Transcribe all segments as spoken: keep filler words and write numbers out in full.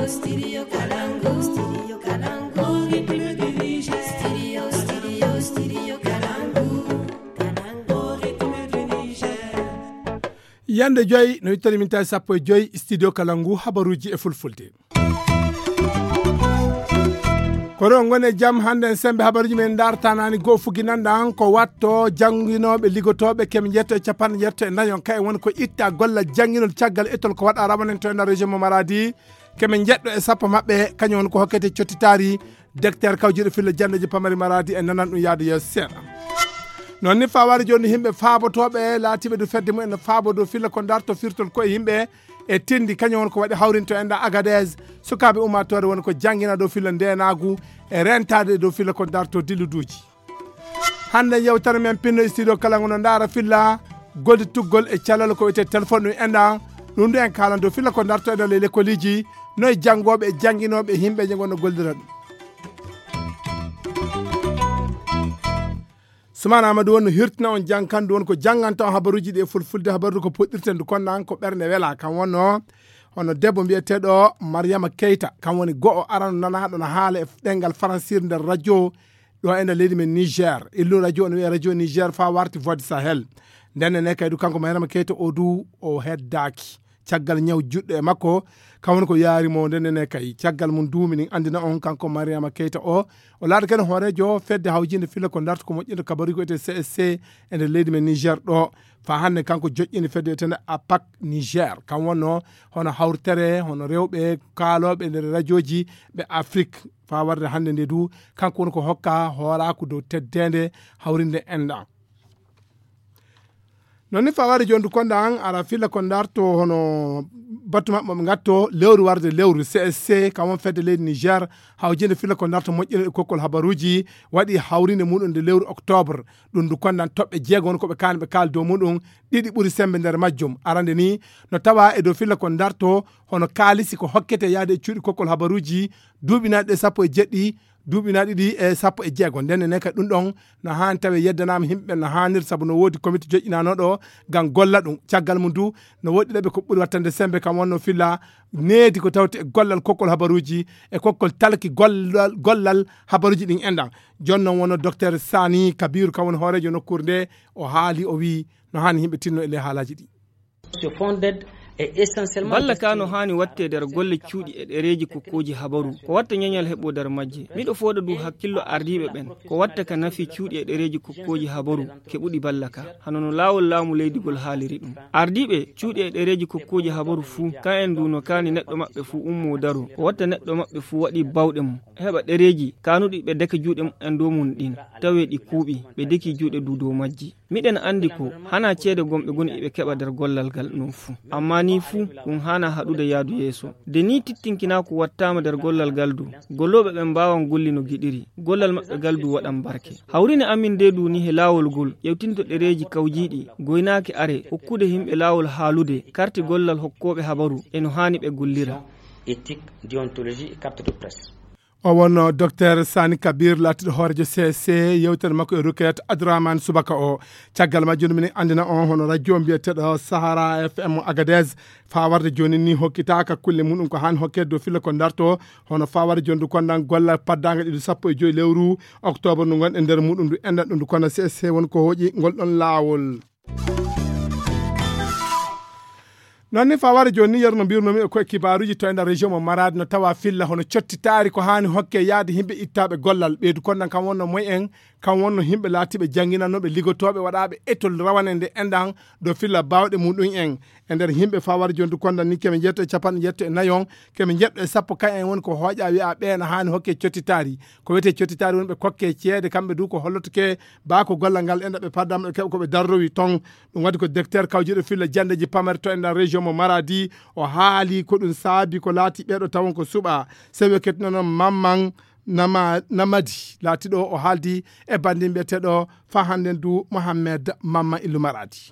Studio Kalangu, Studio Kalangu, Ritme du Niger. Studio, Studio, Studio Kalangu, Kalangu, Ritme du Niger. Yande joyi no ittani min tawi sappo e joyi studio kala ngu habaruji e fulfulde. Kono ngone jam hande en sembe habaruji men dartanani go fuginanda an ko watto janginoɓe ligotoɓe kemi jetto e capanɗe jetto e nayon kay won ko itta golla janginol caggal etol ko waɗa rawanen to e nder région mo maradi. Kemi jeɗɗo e sappo maɓɓe kañum won ko hokkete cottitari. Docteur kawjiɗo filla jandeji pamari maradi e nanan ɗum yaade yeeso seeɗa. Noon ni fawaade jooni yimɓe faabotoɓe laatiɓe du fedde mumen no faabo dow filla ko darto firtol koye yimɓe e tindi kañum won ko waɗi hawrinto enda agades. Sukaɓe ummatore woni ko jangina dow filla ndenagu e rentade dow filla ko darto dilluduji. Hande yewtere men pinno e studio kala ngono ndaara filla golde tuggol e calal ko wiyete téléphone ɗum enda. Ɗum ɗo en kalan dow filla ko darto enda ley lekkoliji noye janngoɓe e jannginoɓe e yimɓe je gonno gollira ɗum. Sumana amadou won no hirtina on jangkandu won ko janganta on habaruji ɗi e fulfulde habarude ko puɗɗirten du konnan ko ɓernde wela kan wonno hono debbo mbiyeteɗo mariama keyta kan woni go'o arano nanaɗo no haala e ɗengal faransir nder radio. Ɗo e nder leydi men niger illu radio no wiya radio niger fa warti voie de sahel. Ndenne ne kaydu kanko mariama keyta o du o heddaki caggal ñaw juɗɗo e makko. Kan woni ko yaari mo ndenne ne kay caggal mum duumi ɗin andina on kanko mariama keyta o o laata kene hoorejo fedde hawjinde filla ko darta ko moƴƴinta kabari ko ete csc e nder leydi men niger ɗo. Fa hannde kanko joƴƴini fedde etene apak niger kan wonno hono hawritere hono rewɓe kaaloɓe nder radioji ɓe afrique. Fa warde hannde nde du kanko woni ko hokka hooraaku dow teddende hawrinde enɗan. Noon ni fa warde joni du konda an ara filla ko darto hono battu maɓɓe ɓe gatto lewru warde lewru csc kam won fedde leydi niger. Hawjinde filla ko darto moƴƴino e kokkol habaruji waɗi hawrinde muɗum nde lewru octobre. Ɗum du kondan toɓɓe jeego won koɓe kaani ɓe kaali dow muɗum ɗiɗi ɓuri sembe nder majjum arande ni no tawa e dow filla ko darto hono kaalisi ko hokkete yaade e cuuɗi kokkol habaruji duuɓinaɗi ɗe sappo e jeɗɗi duuɓi na ɗiɗi e sappo e jeego nden ne kay ɗum ɗon no haani tawe yeddanama yimɓe ɓen no haanir sabu no woodi komite joƴƴinanoɗo ngam golla ɗum caggal mum du. No woodi ɗeɓe ko ɓuri wattande sembe kam wonno filla needi ko tawte e gollal kokkol habaruji e kokkol talki gollal gollal habaruji ɗin enɗan. Jooni noon wonno docteur sani kabiru kam woni hoorejo nokkuure nde o haali o wii no haani yimɓe tinno e ley haalaji ɗi. Balla ka no haani watte nder golle cuuɗi e ɗereeji kokkooji habaru ko watta ñañal heɓo nder majje. Miɗo fooɗa du hakkillo ardiiɓe ɓen ko watta ka nafi cuuɗi e ɗereeji kokkooji habaru keɓuɗi balla ka hano no laawol laamu leydugol haaliri ɗum. Ardiiɓe cuuɗi e ɗereeji kokkooji habaru fuu ka en du no kaani neɗɗo maɓɓe fuu ummoo daro ko watta neɗɗo maɓɓe fuu waɗi bawɗe mum heɓa ɗereeji kaanuɗi ɓe deke juuɗe mumen dow mum ɗin tawe ɗi kuuɓi ɓe deki juuɗe du dow majji. Miɗen anndi ko hanaa ceede gomɓe goni iɓe keɓa nder gollal gal non fuu. Ammaa nii fuu ɗum haanaa haɗude yaadu yeeso. Nde nii tittinkinaaku wattaama nder gollal gal du, gollooɓe ɓen mbaawan golli no giɗiri, gollal maɓɓe gal du waɗan barke. Hawrine amin ndee du nii he laawol ngol ƴewtinto ɗereeji kawjiiɗi, goynaaki are, hokkude yimɓe laawol haalude, karti gollal hokkooɓe habaru e no haani ɓe gollira. Éthique, déontologie et carte de presse. O wonno docteur sani kabir laatiɗo hoorejo csc yewtere makko e rukayat adramane subaka o. Caggal majjum minen anndina on hono radio mbiyeteɗo sahara fm agades fawarde joni ni hokkitaka kulle muɗum ko hani hokkede dow filla ko darto hono fawarde joni du kondan gollal paddanga ɗiɗi sappo e joyi lewru octobre ndu gonɗen nder muɗum ndu enɗan ɗum ndu kondan csc woni ko hooƴi ngol ɗon laawol. Noon ni faware jooni ni yeru no mbirnomi e koye kibaruji to e nder région mo maradi no tawa filla hono cottitaari ko haani hokke yaade yimɓe ittaɓe gollal ɓeydu konnan kam wonno moy en kam wonno yimɓe laatiɓe jannginannoɓe ligotoɓe waɗaɓe étol rawane nde enɗan ɗo filla bawɗe muɗum en e nder yimɓe faware jooni du konnan ni keme njetto e capanɗe njetto e nayon keme njetto e sappo ka en woni ko hooƴa wiya ɓeena haani hokke cottitaari ko wiyete cottitaari woni ɓe kokke ceede kamɓe du ko hollotoke baa ko gollal ngal enɗa ɓe paddam ɗo keɓa ko ɓe darrowi ton. Ɗum waɗi ko docteur kawjiɗo filla janndeeji pamare to e nder région mo Maradi. O haali ko ɗum saabi ko laati ɓeeɗo tawon ko suɓa. Sewi o kettinano Mamman Nama- Namadi laatiɗo o haaldi e banndin mbiyeteeɗo fa hannden du Mohammed Mamman Illu Maradi.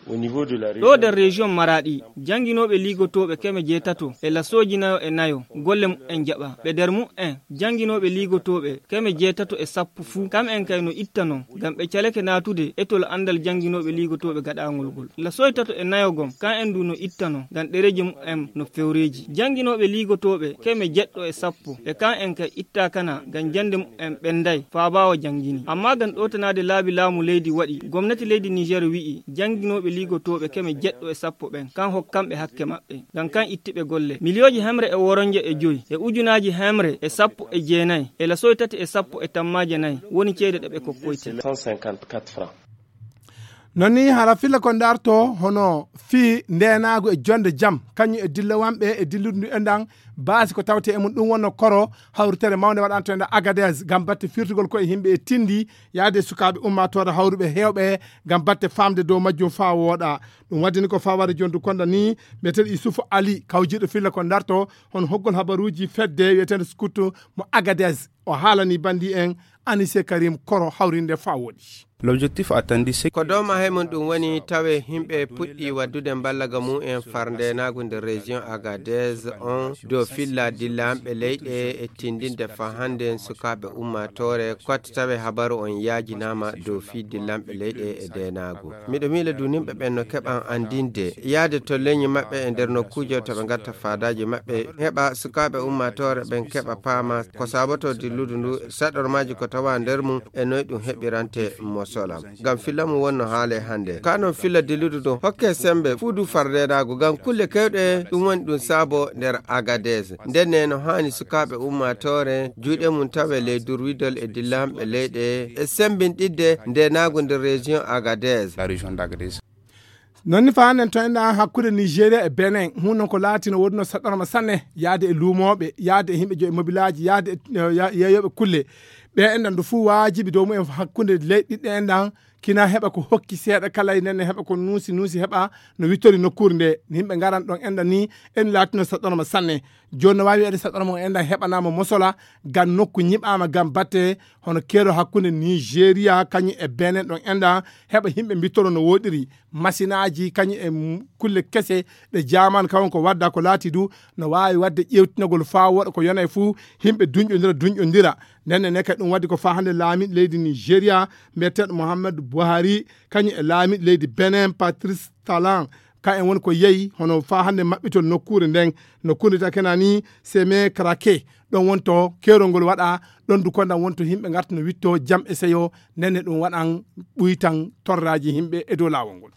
Ɗo nder région Maraɗi, jannginooɓe liigotooɓe keme jeetato e lasooji nayo e nayo golle mumen jaɓaa. Ɓe nder mumen, jannginooɓe liigotooɓe keme jeetato e sappo fuu, kam'en kay no ittanoo, ngam ɓe calake naatude etol anndal jannginooɓe liigotooɓe gaɗaangol ngol. Lasooji tato e nayo gom, kam'en du no ittanoo, ngam ɗereeji mumen no fewreeji. Jannginooɓe liigotooɓe keme jeɗɗo e sappo, e kam'en kay ittaakana, ngam jannde mumen ɓennday faa ɓaawo janngini. Ammaa ngam ɗowtanaade laabi laamu leydi waɗi, gomnati leydi Niger wi'i, jannginooɓe liigotooɓe keme jeɗɗo e sappo ɓen, kan hokkanɓe hakke maɓɓe, ngam kan ittiɓe golle. Miliyooji hemre e woronje e joy, e ujunaaji hemre e sappo e jeenay, e lasooji tati e sappo e tammaaje nay, woni ceede ɗe ɓe kokkoyte. Non ni hara filla ko ndarto hono fii ndeenaagu e jonde jam, kañum e dillawanɓe e dilludu ndu enɗan, baasi ko tawte e mum ɗum wonno koro hawritere mawnde waɗanto enɗan Agadez, ngam batte firtugol ko e yimɓe e tindi, yaade e sukaaɓe ummaatoore hawruɓe heewɓe, ngam batte faamde dow majjum faa wooɗa. Ɗum waddini ko fawade jondu konda ni, mbiyeteeɗo Yusufu Ali, kawjiiɗo filla ko ndarto, hono hoggol habaruuji fedde wiyeteende Scout mo Agadez. O haalani bandi en Anise Karim koro hawrinde faa wooɗi. L'objectif attendu, c'est ko dow mahe mum ɗum woni tawe yimɓe puɗɗi waddude mballaga mumen far ndeenaagu nder région Agadez on dow filla dillanɓe leyɗe e tindinde faa hannde sukaaɓe ummaatoore kotte tawe habaru on yaajinaama dow fii dillanɓe leyɗe e ndeenaagu. Miɗo miila du nimɓe ɓen no keɓan anndinde yaade to leñi maɓɓe e nder nokkuuje to ɓe ngatta faadaaji maɓɓe, heɓa sukaaɓe ummaatoore ɓen keɓa paama ko saabotoo dilludu ndu, saɗormaaji ko tawa nder mum e noy ɗum heɓirante mosolam. Ngam filla mum wonno haale hannde. Ka non filla dilludu ndun hokke sembe fuu du far ndeenaagu ngam kulle kewɗe ɗum woni ɗum saabo nder Agadez. Ndenne no haani sukaaɓe ummaatoore juuɗe mum tawe ley durwidol e dillanɓe leyɗe e sembinɗidde ndeenaagu nder région Agadez. La région d'Agadez. Non ni faa hannden to enɗan hakkunde Nigeria e Benin, huunde non ko laatino wonno saɗɗorma sanne, yaade e luumooɓe, yaade e yimɓe joyi mobilaaji, yaade e, eh, ya-, yeeyooɓe kulle. Ɓe enɗan du fuu waajibi dow mumen hakkunde leyɗe ɗiɗɗe enɗan, kina heɓa ko hokki seeɗa kala e nden ne heɓa ko nuusi, nuusi heɓa no wittori nokkuure nde. Yimɓe ngaran ɗon enɗan ni, en laatino saɗɗorma sanne. Jooni no waawi wiyeede saɗɗorma on enɗan heɓanaama mosola, ngam nokku nyiɓaama ngam batte hono keero hakkunde Nigeria kañum e Benin ɗon enɗan heɓa yimɓe mbittoro no wooɗiri. Masinaaji kañum e m-, kulle kese ɗe jaaman kawon ko wadda ko laati du no waawi wadde ƴeewtinagol faa wooɗa ko yonay fuu yimɓe duñƴondira, duñƴondira. Nden ne kadi ɗum waddi ko faa hannde laamiiɗo leydi Nigeria, mbiyeteeɗo Muhammadu Buhari, kañum e laamiiɗo leydi Benin, Patrice Talon, ka en woni ko yehi hono faa hannde maɓɓitol nokkuure nden, nokkuure ta kenani Seme Krake, ɗon wonto keerol ngol waɗa, ɗon du kondan wonto yimɓe ngarta no witto jam e seyo, nden ne ɗum waɗan ɓuytan torraaji yimɓe e dow laawol ngol.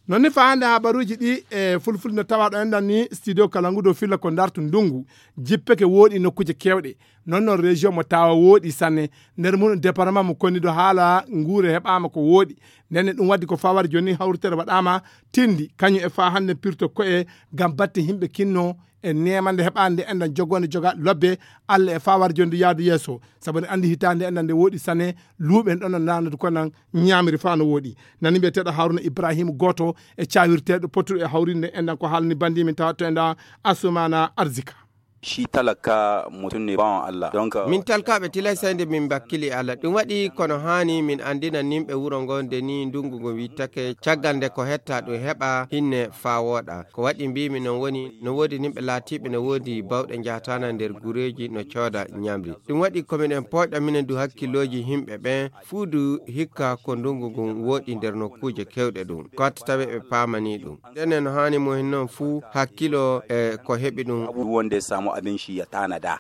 Non ni faa hannde habaruuji ɗi e fulfulde no tawa ɗo enɗan ni studio Kalangu dow filla ko ndartu ndungu, jippeke wooɗi nokkuuje keewɗe. Non non région mo tawa wooɗi sanne, nder mum département mo konido haala nguure heɓaama ko wooɗi. Nden ne ɗum waddi ko fawar jooni hawritere waɗaama tindi, kañum e faa hannde pirto ko'e ngam batte yimɓe kinno e neemande heɓaande enɗan jogonde joga lobbe Allah e fawar jooni yaadu yeeso. Sabu ne anndi hitaande enɗan nde wooɗi sanne, luuɓe en ɗon no naanadu konan ñaamiri faa no wooɗi. Nani mbiyeteeɗo Haruna Ibrahim gooto e caawirteeɗo pottuɗo e hawrinde enɗan ko haalani bandi min tawa to enɗan Asumana Arzika. Shi talaka mutum ne bawan Allah. Donc, min talkaaɓe tilay sayde min mbakkili Allah. Ɗum waɗi kono haani min anndina nimɓe wuro ngo nde ni ndungu ngu wittake caggal nde ko hetta ɗum heɓa hinne faa wooɗa. Ko waɗi mbiimi non woni no woodi nimɓe laatiiɓe no woodi bawɗe njahtaana nder gureeji no cooda ñamri. Ɗum waɗi ko minen pooƴɗa minen du hakkillooji yimɓe ɓen fuu du hikka ko ndungu ngun wooɗi nder nokkuuje kewɗe ɗum. Ko hatta tawi ɓe paamanii ɗum. Nden no haani mo hin non fuu hakkilo e ko heɓi ɗum. Abu wonde samu abin shi ya tanada.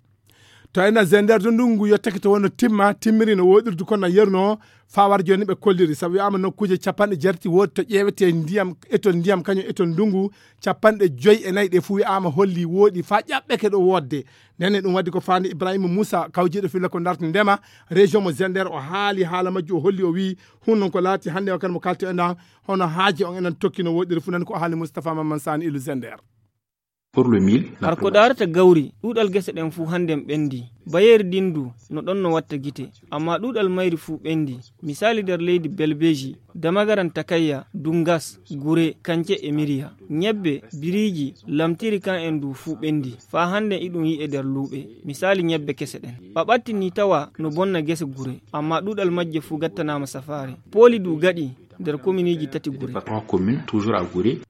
To ena zender to ndungu yottake to wonno timma, timmiri no woɗirdu kono yerno faa war jooni ɓe kolliri. Sabu wi'aama nokkuuje capanɗe jeetati woodi to ƴeewetee ndiyam, etol ndiyam kañum etol ndungu, capanɗe joy e nayi ɗe fuu wi'aama holli wooɗi faa ƴaɓɓeke ɗo woodde. Nden ne ɗum waddi ko faandi Ibrahima Muusa, kawjiiɗo filla ko ndarti ndema, région mo Zender, o haali haala majju, o holli, o wi'i, hun non ko laati hannde wakkati mo kalto enɗan, hono haaje on enen tokki no woɗiri fuu, nan ko o haali Moustapha Mamman Sani Ilu Zender. Pour le mil, la Har ko daarata gawri, ɗuuɗal gese ɗen fuu hannden ɓenndii. Bayeeri ndin du, no ɗon no watta gite. Ammaa ɗuuɗal mayri fuu ɓenndii. Misaali nder leydi Belbeji, Damagaran Takayya, Dungas, Gure, Kance e Miriya. Ñebbe, biriiji, lamtiri kan en du fuu ɓenndii. Faa hannden iɗum yi'e nder luuɓe. Misaali ñebbe kese ɗen. Ɓaɓatti ni tawa no bonna gese gure, ammaa ɗuuɗal majje fuu gattanaama safaare. Pooli du gaɗi, nder kominiji tati gure. Département commune toujours à Gure.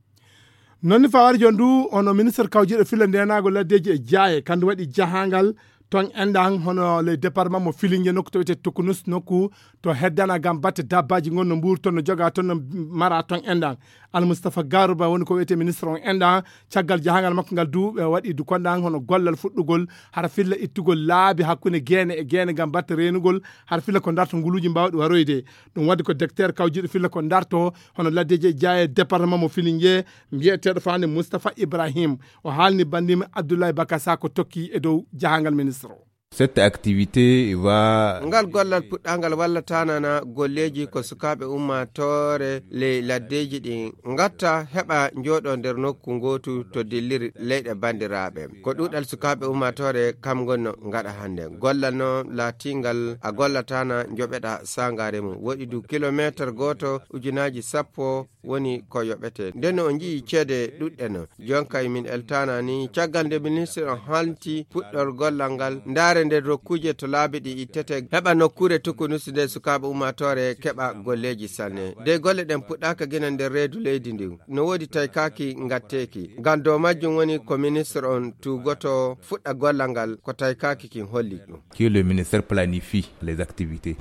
Noon ni fawari jooni du hono ministre kawjiiɗo filla ndenaagol laddeeji e jaaye kandu waɗi jahangal ton enɗan hono le département mo filinge nokku to wiyete tukunus nokku to heddana gam batte dabbaji gon no mbuuri ton no joga ton no mara ton enɗan. Almustafa Garuba woni ko wiyete ministre on enɗan caggal jahangal makko ngal du ɓe waɗi du konɗan hono gollal fuɗɗugol hara filla ittugol laabi hakkunde geene e geene gam batte reenugol hara filla ko darto nguluuji mbawɗi waroyde. Ɗum waɗi ko docteur kawjiiɗo filla ko darto hono laddeeji e jaaye département mo filinge mbiyeteeɗo fawande Moustapha Ibrahim. O haalni bandimi Abdoulaye Bakasa ko tokki e dow jahangal ministre o. Cette activité va ngal gollal puɗɗangal walla tanana golleeji ko sukaaɓe ummaatoore ley laddeeji ɗin ngatta heɓa njooɗo nder nokku ngootu to dilliri leyɗe banndiraaɓe. Ko ɗuuɗal sukaaɓe ummaatoore kam ngon no ngaɗa hannde. Gollal no laatingal a gollatana njoɓeɗa sangaare mum. Woɗi du kilomeeter gooto ujunaaji sappo woni ko yoɓete. Nden o njii ceede ɗuɗɗe no. Jonkay min eltana ni caggal nde ministre on halti puɗɗor gollal ngal ndaare nder rokkuuje to laabi ɗi ittete heɓa nokkuure tukunus nde sukaaɓe ummaatoore keɓa golleeji sanne. De golle ɗen puɗɗaka gina nder reedu leydi ndi. No woodi taykaki ngatteeki. Ngam dow majjum woni ko ministre on tuugoto fuɗɗa gollal ngal ko taykaki kin holli ɗum. Que le ministère planifie les activités.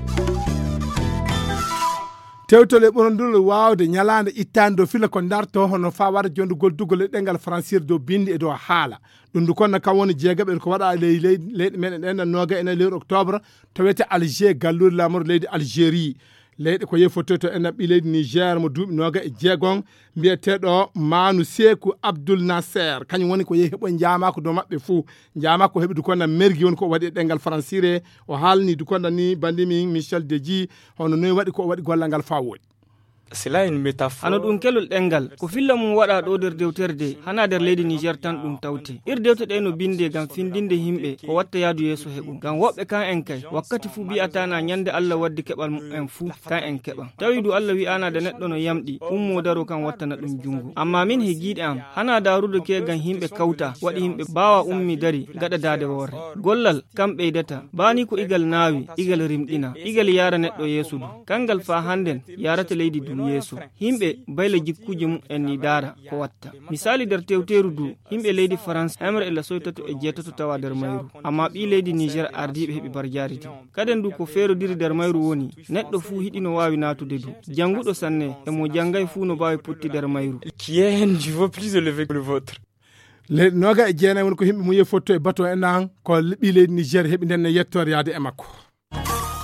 Tewtole ɓurondul waawde ñalaande ittaande dow fila ko darto hono faa wara jondugol dugol e ɗengal fransir dow binndi e dow haala. Ɗum ndu konna kam woni jeegaɓe ko waɗa ley leyɗe meɗen ɗen noga ene lewru octobre to wiyete Alger galluure laamoro leydi Algérie. Leyɗe ko yehi fottoy to enɗan ɓii leydi Niger mo duuɓi noga e jeegon mbiyeteeɗo Manu Seeku Abdul Nasser kañum woni ko yehi heɓoy njaamaako dow maɓɓe fuu. Njaamaako heɓi dukonda mergi woni ko o waɗi e ɗengal fransire. O haalni dukonda ni bandimi Michel Deji hono noy waɗi ko o waɗi gollal ngal faa wooɗi. Hano ɗum kelol ɗengal ko filla mum waɗa ɗo nder dewtere de hana nder leydi Niger tan ɗum tawte. Ir dewte ɗe no binde ngam findinde himɓe ko watta yaadu yeeso heɓum ngam woɓɓe kan en kay wakkati fuu mbi'ata na ñande Allah waddi keɓal mumen fuu kan en keɓan. Tawi du Allah wi'ana de neɗɗo no yamɗi ummo daro kan wattana ɗum jungo. Amma min he giiɗe am hana darude ke ngam himɓe kawta waɗi himɓe baawa ummi dari gaɗa daade worre. Gollal kam ɓeydata bani ko igal naawi igal rimɗina igal yaara neɗɗo yeeso du. Kangal faa hannden yaarata leydi du yeeso. Himɓe bayla jikkuuje mumen ni daara ko watta. Misaali nder tewteeru du yimɓe leydi Farans hemre e lasoy tato e jeetato tawa nder mayru. Amma ɓii leydi Niger ardiiɓe heɓi barjaari di. Kaden du ko feerodiri nder mayru woni neɗɗo fuu hiɗi no waawi naatude du. Jannguɗo sanne e mo janngay fuu no baawi potti nder mayru. Qui est un niveau plus élevé que le vôtre. Leyɗe noga e jeenay woni ko yimɓe mum yehi fotto e bato en an ko ɓii leydi Niger heɓi nden ne yettoore yaade e makko.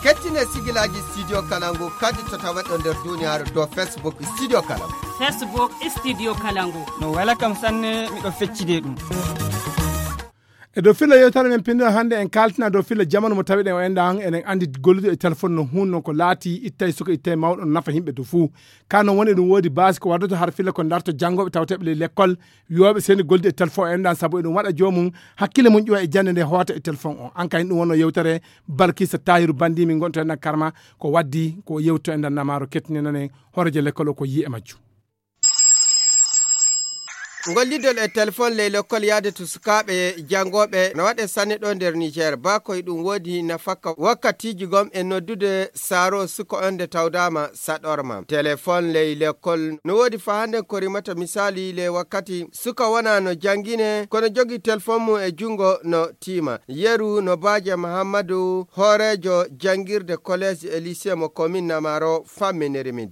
Kettine sigilaaji studio kalangu kadi to taweɗo nder duniyaaru dow Facebook studio kalangu. Facebook studio kalangu. No wela kam sanne miɗo feccide ɗum. E dow filla yewtere men pinndira hannde en kaltina dow filla jamanu mo tawiɗen o enɗa han eɗen anndi gollude e téléphone no hun non ko laati ittay suka ittay mawɗo no nafa yimɓe dow fuu. Ka non woni eɗum woodi baasi ko waddoto har filla ko darto janngooɓe tawteɓe ley lekkol wiyooɓe seni gollude e téléphone o enɗan sabu eɗum waɗa joomum hakkille mum ƴuwa e jannde nde hoota e téléphone o an kay ɗum wonno yewtere. Balkisa tahiru bandi min gonto enɗan karma ko waddi ko yewto enɗan namaro kettininanen hoorejo lekkol o ko yi e majjum. Ngol lidol e telefon ley lokkol yaade to sukaaɓe janngooɓe no waɗe sanne ɗo nder Niger. Baa koye ɗum woodi nafakka wakkatiiji gom e noddude saaro suka on nde tawdaama saɗorma. Telefon ley lekkol no woodi faa hannden ko rimata misaali ley wakkati suka wona no janngine kono jogi telefon mum e junngo no tiima. Yeru no baaje Mahammadu hooreejo janngirde collège e lycée mo commune Namaro famminiri min.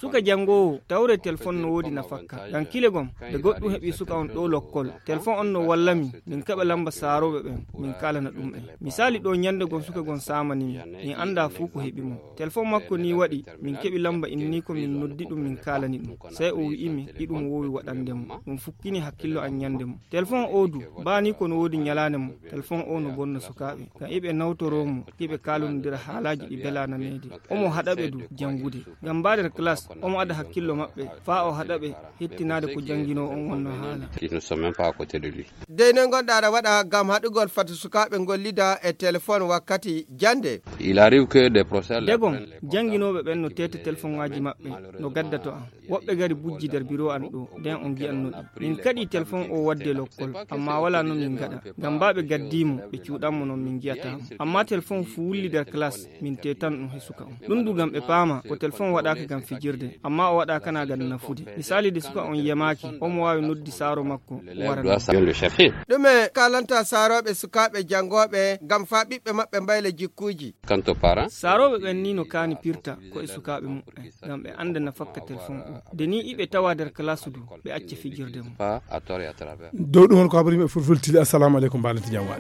Suka janngoowo tawre telefon no woodi nafakka ngam kile gom nde goɗɗum heɓi suka on ɗo lokkol telefon on no walla min min keɓa lamba saarooɓe ɓen min kaalana ɗum en. Misaali ɗo ñannde gom suka gom saamani min min annda fuu ko heɓi mo. Telefon makko ni waɗi min keɓi lamba inni ko min noddi ɗum min kaalani ɗum sey o wi'i mi iɗum woowi waɗande mo. Ɗum fukkini hakkillo an ñannde mo. Telefon o du baa ni ko no woodi ñalaande mo. Telefon o no bonna sukaaɓe ngam iɓe nawtoroo mo iɓe kaalonndira haalaaji ɗi belaa naneede. Omo haɗa ɓe du janngude ngam mbaa nder classe omo ada hakkillo maɓɓe faa o haɗa ɓe hettinaade ko Jannginoowo on wonnoo haala. Ils ne sont même pas à côté de lui. Dey noy ngonɗa aɗa waɗa ngam haɗugol fati sukaaɓe ngollida e telefon wakkati jannde? Il arrive que des professeurs les Degom prennent les portables. Jannginooɓe ɓen no teeta telefoŋaaji maɓɓe no gaddato am. Woɓɓe gari bujji nder biro an ɗo, nden on ngi'anno ɗi. Min kaɗi telefon o waɗde lokkol, amma walaa no min ngaɗa. Ngam baa ɓe gaddii mo, ɓe cuuɗan mo non min ngi'ataa mo. Amma telefon fu wulli nder classe, min teetan ɗum he suka on. Ɗum du ngam ɓe paama ko telefon waɗaaka ngam fijirde, amma o waɗaaka na ngam nafude. Misaali de suka on yemaaki, omo waawi noddi saaro makko wara. Ɗume kaalanta saarooɓe sukaaɓe janngooɓe ngam faa ɓiɓɓe maɓɓe mbayla jikkuuji? Saarooɓe ɓen ni no kaani pirta ko e sukaaɓe muɓɓen ngam ɓe annda nafakka telefon o. De ni iɓe tawa nder kalaasu du ɓe acca fijirde mum. Dow ɗum hol ko habari maɓɓe fulfultili. Assalamu aleykum, mbaɗa ti jam waɗi.